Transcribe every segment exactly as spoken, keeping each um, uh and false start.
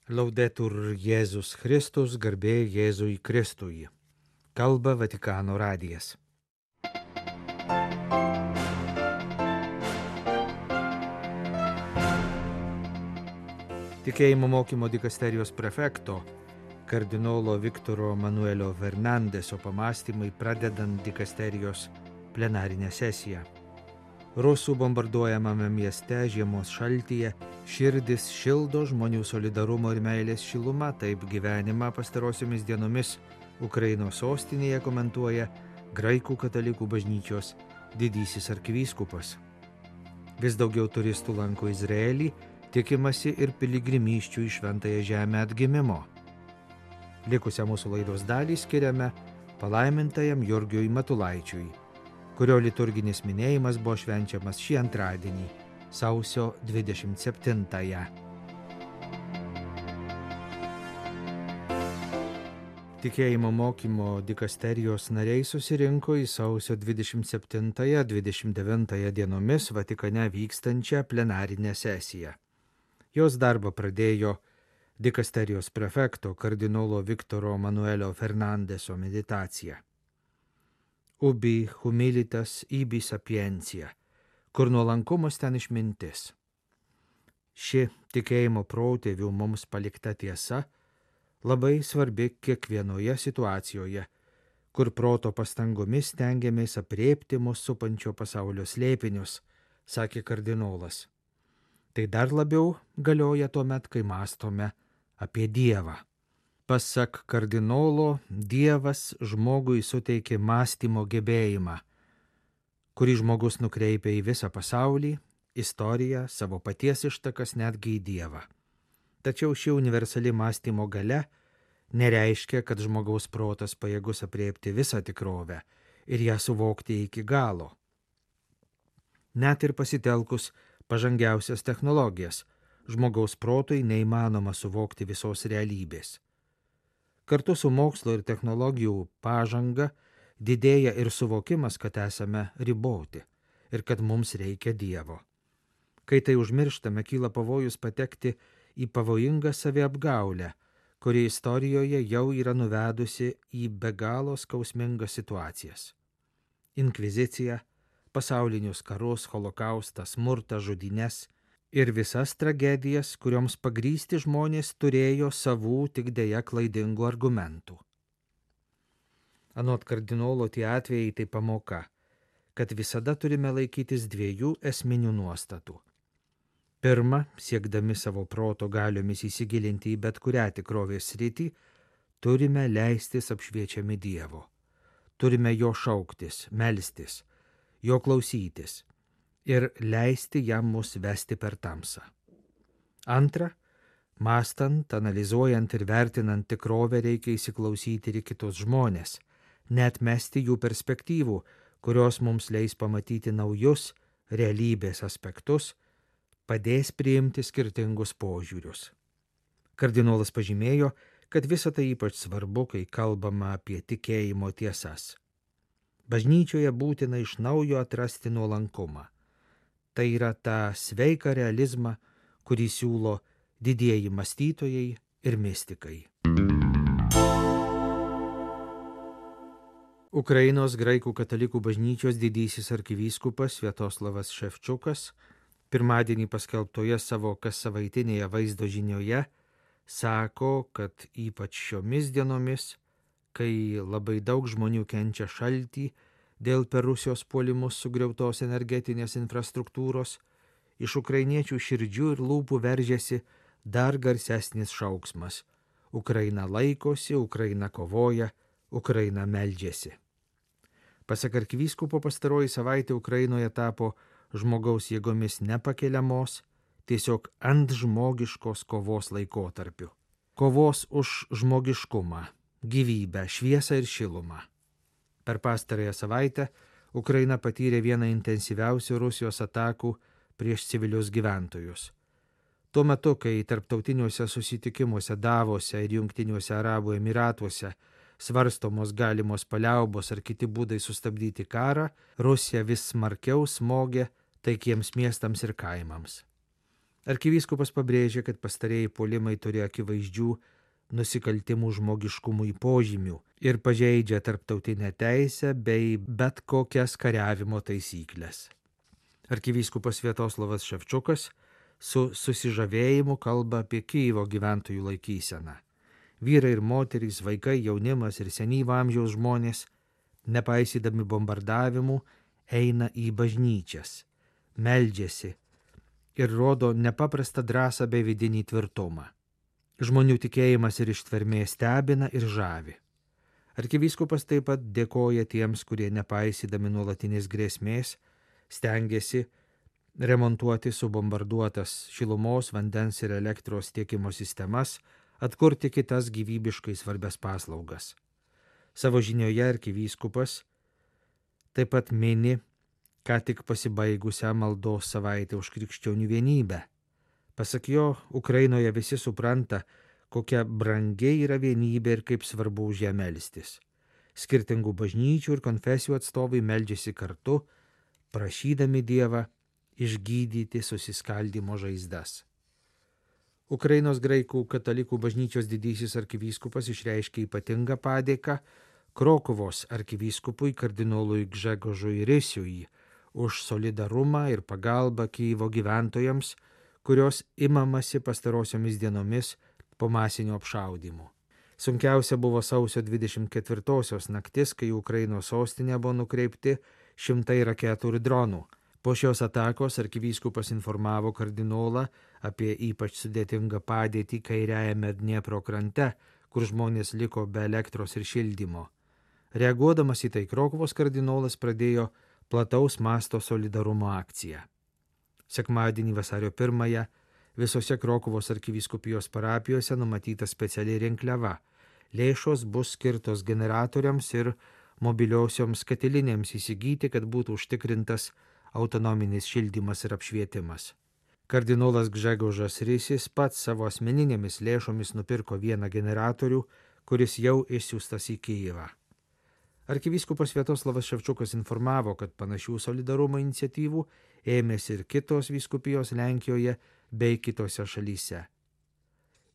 Laudetur Jėzus Kristus, garbė Jėzui Kristui. Kalba Vatikano radijas. Tikėjimo mokymo dikasterijos prefekto, kardinolo Viktoro Manuelio Fernandeso pamąstymai pradedant dikasterijos plenarinę sesiją. Rusų bombarduojamame mieste žiemos šaltyje širdis šildo žmonių solidarumo ir meilės šiluma, taip gyvenimą pastarosiomis dienomis Ukrainos sostinėje komentuoja Graikų katalikų bažnyčios didysis arkivyskupas. Vis daugiau turistų lanko Izraelį, tikimasi ir piligrimysčių į Šventąją Žemę atgimimo. Likusią mūsų laidos dalį skiriame palaimintajam Jurgiui Matulaičiui, kurio liturginis minėjimas buvo švenčiamas šį antradienį, sausio dvidešimt septintąją. Tikėjimo mokymo dikasterijos nariai susirinko į sausio dvidešimt septintąją dvidešimt devintąją dienomis Vatikane vykstančią plenarinę sesiją. Jos darbą pradėjo dikasterijos prefekto kardinolo Viktoro Manuelio Fernandeso meditacija. Ubi humilitas ibi sapientia, kur nuolankumas ten išmintis. Ši tikėjimo protėvių mums palikta tiesa labai svarbi kiekvienoje situacijoje, kur proto pastangomis stengiamės aprėpti mus supančio pasaulio slėpinius, sakė kardinolas. Tai dar labiau galioja tuomet, kai mąstome apie Dievą. Pasak kardinolo, Dievas žmogui suteikė mąstymo gebėjimą, kurį žmogus nukreipia į visą pasaulį, istoriją, savo paties ištakas, netgi į Dievą. Tačiau ši universali mąstymo galia nereiškia, kad žmogaus protas pajėgus aprėpti visą tikrovę ir ją suvokti iki galo. Net ir pasitelkus pažangiausias technologijas, žmogaus protui neįmanoma suvokti visos realybės. Kartu su mokslo ir technologijų pažanga didėja ir suvokimas, kad esame riboti ir kad mums reikia Dievo. Kai tai užmirštame, kyla pavojus patekti į pavojingą saviapgaulę, kuri istorijoje jau yra nuvedusi į be galo skausmingas situacijas. Inkvizicija, pasaulinius karus, holokaustą, smurtą, žudynes ir visas tragedijas, kurioms pagrįsti žmonės turėjo savų tik deja klaidingų argumentų. Anot kardinolo tie atvejai tai pamoka, kad visada turime laikytis dviejų esminių nuostatų. Pirma, siekdami savo proto galiomis įsigilinti į bet kurią tikrovės sritį, turime leistis apšviečiami Dievo. Turime jo šauktis, melstis, jo klausytis ir leisti jam mus vesti per tamsą. Antra, mąstant, analizuojant ir vertinant tikrovę reikia įsiklausyti ir kitus žmonės, neatmesti jų perspektyvų, kurios mums leis pamatyti naujus realybės aspektus, padės priimti skirtingus požiūrius. Kardinolas pažymėjo, kad visa tai ypač svarbu, kai kalbama apie tikėjimo tiesas. Bažnyčioje būtina iš naujo atrasti nuolankumą. Tai yra tą sveiką realizmą, kurį siūlo didieji mąstytojai ir mistikai. Ukrainos graikų katalikų bažnyčios didysis arkivyskupas Sviatoslavas Ševčiukas pirmadienį paskelbtoje savo kassavaitinėje vaizdo žinioje sako, kad ypač šiomis dienomis, kai labai daug žmonių kenčia šaltį dėl per Rusijos puolimus sugriautos energetinės infrastruktūros, iš ukrainiečių širdžių ir lūpų veržiasi dar garsesnis šauksmas. Ukraina laikosi, Ukraina kovoja, Ukraina meldžiasi. Pasak arkivyskupo, pastaroji savaitė Ukrainoje tapo žmogaus jėgomis nepakeliamos, tiesiog ant žmogiškos kovos laikotarpiu. Kovos už žmogiškumą, gyvybę, šviesą ir šilumą. Per pastarąją savaitę Ukraina patyrė vieną intensyviausių Rusijos atakų prieš civilius gyventojus. Tuo metu, kai tarptautiniuose susitikimuose Davose ir Jungtiniuose Arabų Emyratuose svarstomos galimos paliaubos ar kiti būdai sustabdyti karą, Rusija vis smarkiau smogė taikiems miestams ir kaimams. Arkivyskupas pabrėžė, kad pastarieji puolimai turi akivaizdžių nusikaltimų žmogiškumui požymių ir pažeidžia tarptautinę teisę bei bet kokias kariavimo taisyklės. Arkivyskupas Sviatoslavas Ševčiukas su susižavėjimu kalba apie Kijevo gyventojų laikyseną. Vyrai ir moterys, vaikai, jaunimas ir senyvo amžiaus žmonės, nepaisydami bombardavimų, eina į bažnyčias, meldžiasi ir rodo nepaprastą drąsą bei vidinį tvirtumą. Žmonių tikėjimas ir ištvermė stebina ir žavi. Arkivyskupas taip pat dėkoja tiems, kurie nepaisydami nuolatinės grėsmės stengiasi remontuoti subombarduotas šilumos, vandens ir elektros tiekimo sistemas, atkurti kitas gyvybiškai svarbias paslaugas. Savo žinioje arkivyskupas taip pat mini ką tik pasibaigusią maldos savaitę už krikščionių vienybę. Pasak jo, Ukrainoje visi supranta, kokia brangiai yra vienybė ir kaip svarbu už ją melstis. Skirtingų bažnyčių ir konfesijų atstovai meldžiasi kartu, prašydami Dievą išgydyti susiskaldymo žaizdas. Ukrainos graikų katalikų bažnyčios didysis arkivyskupas išreiškė ypatingą padėką Krokuvos arkivyskupui kardinolui Gžegožui Risiui už solidarumą ir pagalbą Kijevo gyventojams, kurios imamasi pastarosiomis dienomis po masinio apšaudymų. Sunkiausia buvo sausio dvidešimt ketvirtosios naktis, kai Ukrainos sostinė buvo nukreipti šimtai raketų ir dronų. Po šios atakos arkivyskupas informavo kardinolą apie ypač sudėtingą padėtį kairiajame Dniepro krante, kur žmonės liko be elektros ir šildymo. Reaguodamas į tai, Krokuvos kardinolas pradėjo plataus masto solidarumo akciją. Sekmadienį vasario pirmąją visose Krokuvos arkivyskupijos parapijose numatyta speciali rinkliava. Lėšos bus skirtos generatoriams ir mobiliosioms katilinėms įsigyti, kad būtų užtikrintas autonominis šildymas ir apšvietimas. Kardinolas Gžegožas Risis pats savo asmeninėmis lėšomis nupirko vieną generatorių, kuris jau išsiųstas į Kijevą. Arkivyskupas Sviatoslavas Ševčiukas informavo, kad panašių solidarumo iniciatyvų ėmėsi ir kitos vyskupijos Lenkijoje bei kitose šalyse.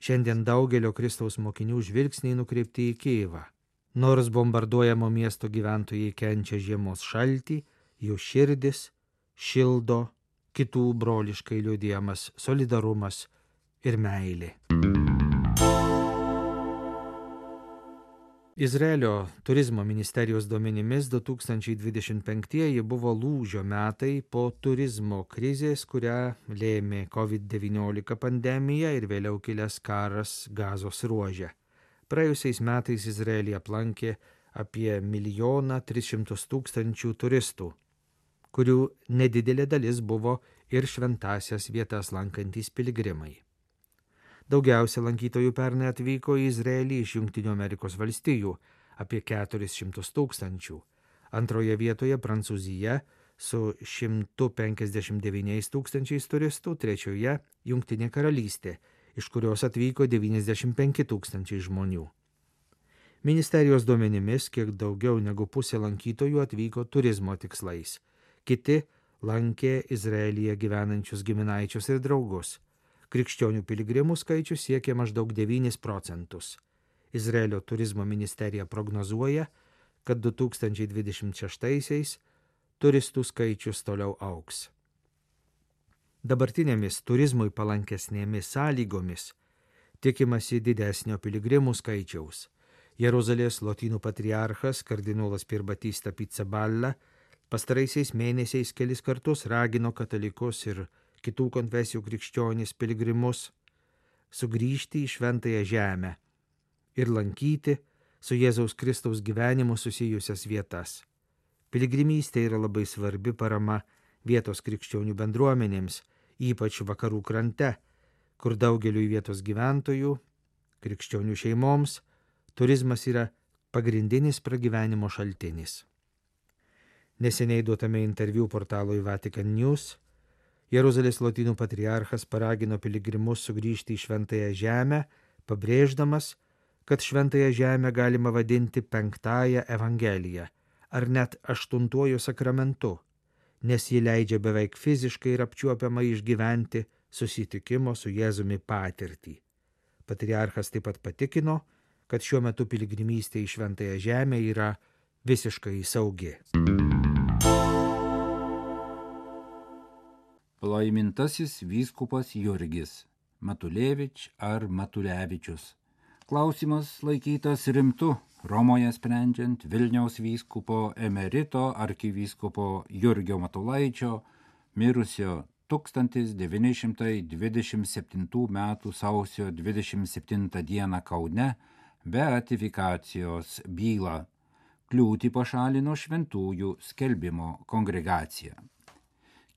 Šiandien daugelio Kristaus mokinių žvilgsniai nukreipti į Kijevą. Nors bombarduojamo miesto gyventojai kenčia žiemos šaltį, jų širdis šildo kitų broliškai liudijamas solidarumas ir meilė. Izraelio turizmo ministerijos duomenimis du tūkstančiai dvidešimt penktieji buvo lūžio metai po turizmo krizės, kurią lėmė covid devyniolika pandemija ir vėliau kilęs karas Gazos ruože. Praėjusiais metais Izraelį aplankė apie milijoną tris šimtus tūkstančių turistų, kurių nedidelė dalis buvo ir šventąsias vietas lankantys piligrimai. Daugiausia lankytojų pernai atvyko į Izraelį iš Jungtinių Amerikos valstijų – apie keturis šimtus tūkstančių. Antroje vietoje Prancūzija su šimtu penkiasdešimt devyniais tūkstančiais turistų, trečioje Jungtinė karalystė, iš kurios atvyko devyniasdešimt penki tūkstančiai žmonių. Ministerijos duomenimis kiek daugiau negu pusė lankytojų atvyko turizmo tikslais. Kiti lankė Izraelyje gyvenančius giminaičius ir draugus. Krikščionių piligrimų skaičius siekia maždaug devynis procentus. Izraelio turizmo ministerija prognozuoja, kad du tūkstančiai dvidešimt šeštaisiais turistų skaičius toliau augs. Dabartinėmis turizmui palankesnėmis sąlygomis tikimasi didesnio piligrimų skaičiaus. Jeruzalės lotynų patriarchas kardinolas Pierbatista Pizzaballa pastaraisiais mėnesiais kelis kartus ragino katalikus ir kitų konfesijų krikščionis piligrimus sugrįžti į šventąją žemę ir lankyti su Jėzaus Kristaus gyvenimu susijusias vietas. Piligrimystė yra labai svarbi parama vietos krikščionių bendruomenėms, ypač vakarų krante, kur daugeliu vietos gyventojų, krikščionių šeimoms, turizmas yra pagrindinis pragyvenimo šaltinis. Neseniai duotame interviu portalui Vatican News Jeruzalės lotynų patriarchas paragino piligrimus sugrįžti į šventąją žemę, pabrėždamas, kad šventąją žemę galima vadinti penktąją evangeliją ar net aštuntuoju sakramentu, nes ji leidžia beveik fiziškai ir apčiuopiamai išgyventi susitikimo su Jėzumi patirtį. Patriarchas taip pat patikino, kad šiuo metu piligrimystė į Šventąją Žemę yra visiškai saugi. Palaimintasis vyskupas Jurgis, Matulevič ar Matulevičius. Klausimas laikytas rimtu Romoje sprendžiant Vilniaus vyskupo emerito arkivyskupo Jurgio Matulaičio, mirusio tūkstantis devyni šimtai dvidešimt septintų metų sausio dvidešimt septintą dieną Kaune beatifikacijos bylą. Kliūtį pašalino šventųjų skelbimo kongregacija.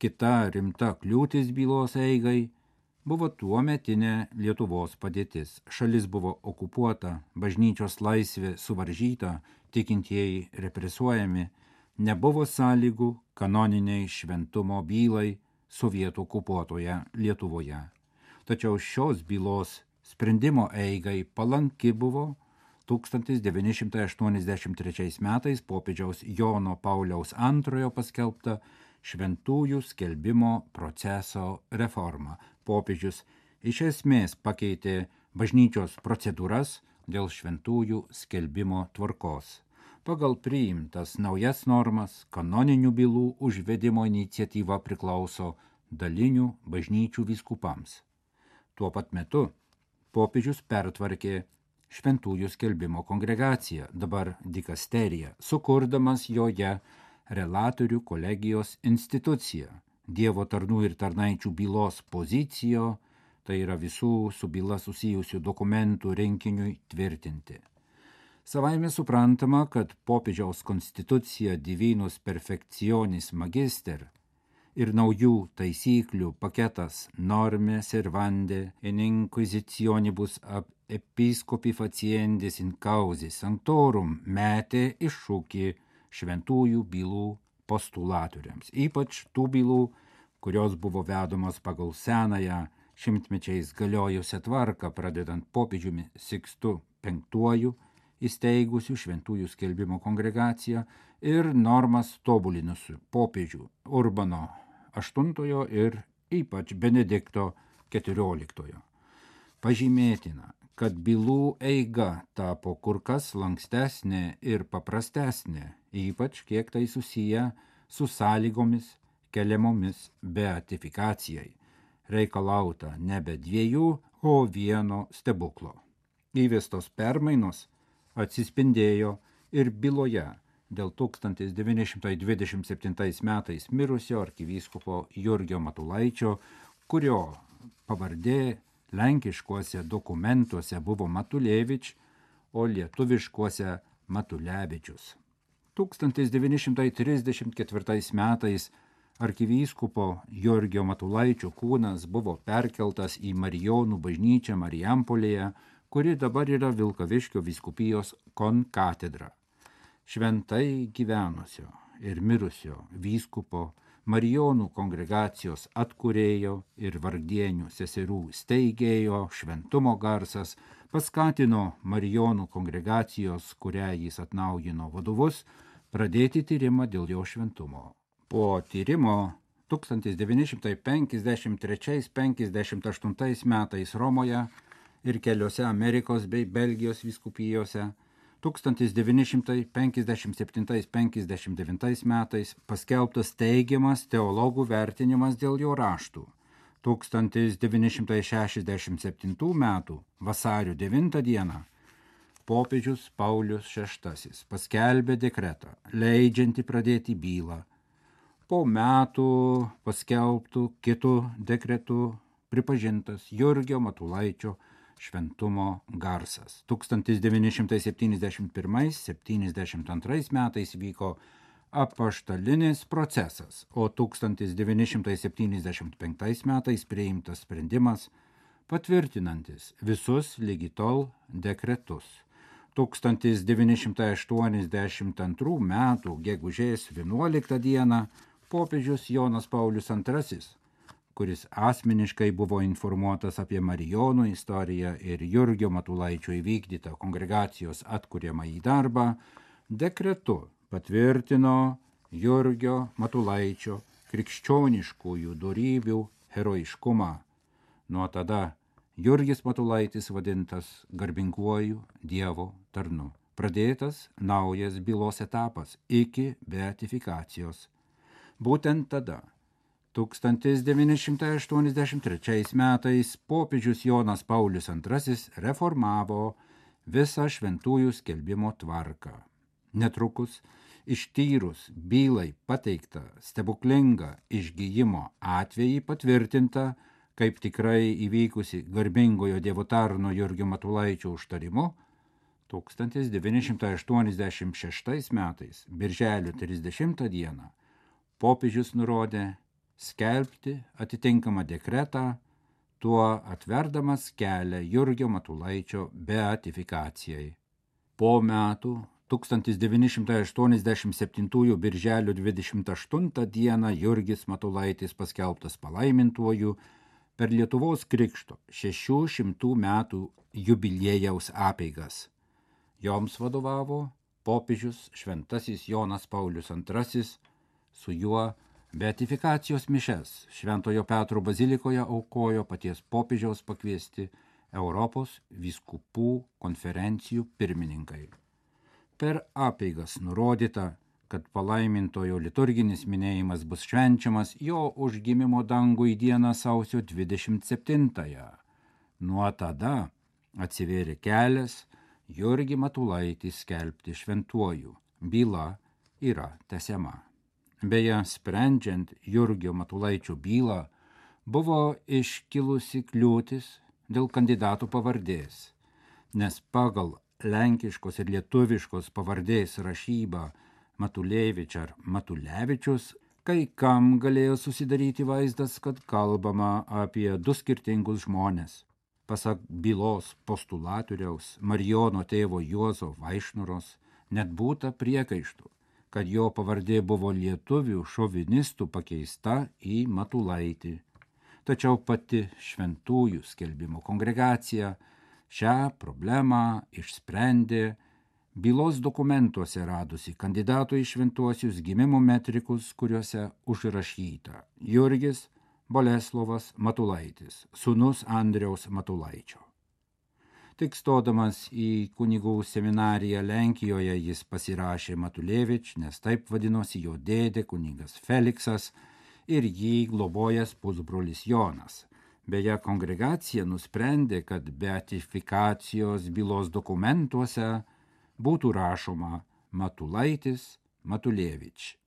Kita rimta kliūtis bylos eigai buvo tuometinė Lietuvos padėtis. Šalis buvo okupuota, bažnyčios laisvė suvaržyta, tikintieji represuojami, nebuvo sąlygų kanoniniai šventumo bylai sovietų okupuotoje Lietuvoje. Tačiau šios bylos sprendimo eigai palanki buvo tūkstantis devyni šimtai aštuoniasdešimt trečiais metais popiežiaus Jono Pauliaus antrojo paskelbta šventųjų skelbimo proceso reforma. Popiežius iš esmės pakeitė bažnyčios procedūras dėl šventųjų skelbimo tvarkos. Pagal priimtas naujas normas kanoninių bylų užvedimo iniciatyva priklauso dalinių bažnyčių vyskupams. Tuo pat metu popiežius pertvarkė šventųjų skelbimo kongregaciją, dabar dikasterija, sukurdamas joje relatorių kolegijos instituciją, Dievo tarnų ir tarnaičių bylos pozicijo, tai yra visų su byla susijusių dokumentų rinkiniui tvirtinti. Savaime suprantama, kad popiežiaus konstitucija Divinus Perfectionis Magister ir naujų taisyklių paketas Norme Servande in Inquisitionibus ab Episcopi faciendis in causis sanctorum metė iššūkį šventųjų bylų postulatoriams, ypač tų bylų, kurios buvo vedomos pagal senąją šimtmečiais galiojusią tvarką, pradedant popiežiumi Sikstu penktuoju, įsteigusių šventųjų skelbimo kongregaciją ir normas tobulinusių popiežių Urbano aštuntojo ir ypač Benedikto keturioliktojo. Pažymėtina, kad bylų eiga tapo kur kas lankstesnė ir paprastesnė, ypač kiek tai susiję su sąlygomis keliamomis beatifikacijai, reikalauta nebe dviejų, o vieno stebuklo. Įvestos permainos atsispindėjo ir byloje dėl tūkstantis devyni šimtai dvidešimt septintais metais mirusio arkivyskupo Jurgio Matulaičio, kurio pavardė lenkiškuose dokumentuose buvo Matulevič, o lietuviškuose Matulevičius. tūkstantis devyni šimtai trisdešimt ketvirtais metais arkivyskupo Jurgio Matulaičio kūnas buvo perkeltas į Marijonų bažnyčią Marijampolėje, kuri dabar yra Vilkaviškio vyskupijos konkatedra. Šventai gyvenusio ir mirusio vyskupo Marijonų kongregacijos atkūrėjo ir vargdienių seserų steigėjo šventumo garsas paskatino Marijonų kongregacijos, kurią jis atnaujino vadovus, pradėti tyrimą dėl jo šventumo. Po tyrimo tūkstantis devyni šimtai penkiasdešimt trečiais penkiasdešimt aštuntais metais Romoje ir keliose Amerikos bei Belgijos vyskupijose, tūkstantis devyni šimtai penkiasdešimt septintais penkiasdešimt devintais metais paskelbtas teigiamas teologų vertinimas dėl jo raštų. tūkstantis devyni šimtai šešiasdešimt septintų metų vasario devintą dieną popiežius Paulius šeštasis paskelbė dekretą, leidžiantį pradėti bylą. Po metų paskelbtų kitų dekretų pripažintas Jurgio Matulaičio šventumo garsas. tūkstantis devyni šimtai septyniasdešimt pirmais septyniasdešimt antrais metais vyko apaštalinis procesas, o tūkstantis devyni šimtai septyniasdešimt penktais metais priimtas sprendimas patvirtinantis visus ligi tol dekretus. tūkstantis devyni šimtai aštuoniasdešimt antrų metų gegužės vienuoliktą dieną popiežius Jonas Paulius antrasis, kuris asmeniškai buvo informuotas apie Marijonų istoriją ir Jurgio Matulaičio įvykdytą kongregacijos atkuriamąjį darbą, dekretu patvirtino Jurgio Matulaičio krikščioniškųjų dorybių herojiškumą, Nuo tada Jurgis Matulaitis vadintas garbinguoju Dievo tarnu. Pradėtas naujas bylos etapas iki beatifikacijos. Būtent tada, tūkstantis devyni šimtai aštuoniasdešimt trečiais metais, popiežius Jonas Paulius antrasis reformavo visą šventųjų skelbimo tvarką. Netrukus, ištyrus bylai pateiktą stebuklingą išgijimo atvejį patvirtinta, kaip tikrai įvykusi garbingojo Dievo tarno Jurgio Matulaičio užtarimu, tūkstantis devyni šimtai aštuoniasdešimt šeštais metais, birželio trisdešimtą dieną, popiežius nurodė skelbti atitinkamą dekretą, tuo atverdamas kelią Jurgio Matulaičio beatifikacijai. Po metų, tūkstantis devyni šimtai aštuoniasdešimt septintųjų birželio dvidešimt aštuntą dieną, Jurgis Matulaitis paskelbtas palaimintuoju per Lietuvos krikšto šešių šimtų metų jubiliejaus apeigas. Joms vadovavo popiežius šventasis Jonas Paulius antrasis, su juo beatifikacijos mišes Šventojo Petro bazilikoje aukojo paties popiežiaus pakviesti Europos vyskupų konferencijų pirmininkai. Per apeigas nurodyta, kad palaimintojo liturginis minėjimas bus švenčiamas jo užgimimo dangui dieną sausio dvidešimt septintąją. Nuo tada atsivėrė kelias Jurgį Matulaitį skelbti šventuoju. Byla yra tęsiama. Beje, sprendžiant Jurgio Matulaičio bylą, buvo iškilusi kliūtis dėl kandidatų pavardės, nes pagal lenkiškos ir lietuviškos pavardės rašybą Matulevič ar Matulevičius, kai kam galėjo susidaryti vaizdas, kad kalbama apie du skirtingus žmones. Pasak bylos postulatoriaus Marijono tėvo Juozo Vaišnoros, net būta priekaištų, kad jo pavardė buvo lietuvių šovinistų pakeista į Matulaitį. Tačiau pati šventųjų skelbimo kongregacija šią problemą išsprendė, bylos dokumentuose radusi kandidatų į šventuosius gimimo metrikus, kuriuose užrašyta Jurgis Boleslovas Matulaitis, sūnus Andriaus Matulaičio. Tik stodamas į kunigų seminariją Lenkijoje jis pasirašė Matulevič, nes taip vadinosi jo dėdė kunigas Feliksas ir jį globojęs pusbrolis Jonas. Beje, kongregacija nusprendė, kad beatifikacijos bylos dokumentuose būtų rašoma Matulaitis Matulevič.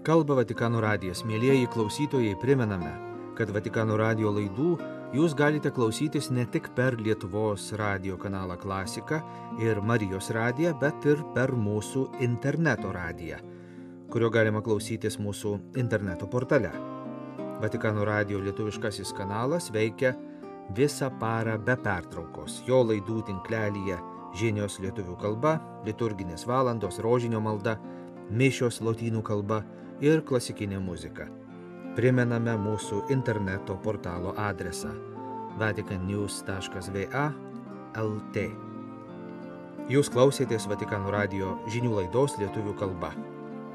Kalba Vatikano radijas. Mielieji klausytojai, primename, kad Vatikano radijo laidų jūs galite klausytis ne tik per Lietuvos radijo kanalą Klasika ir Marijos radiją, bet ir per mūsų interneto radiją, kurio galima klausytis mūsų interneto portale. Vatikano radijo lietuviškasis kanalas veikia visą parą be pertraukos. Jo laidų tinklelyje žinios lietuvių kalba, liturginės valandos, rožinio malda, mišios lotynų kalba ir klasikinė muzika. Primename mūsų interneto portalo adresą vatican news taškas v a el t. Jūs klausėtės Vatikano radijo žinių laidos lietuvių kalba.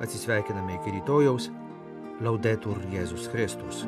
Atsisveikiname iki rytojaus. Laudetur Jėzus Kristus.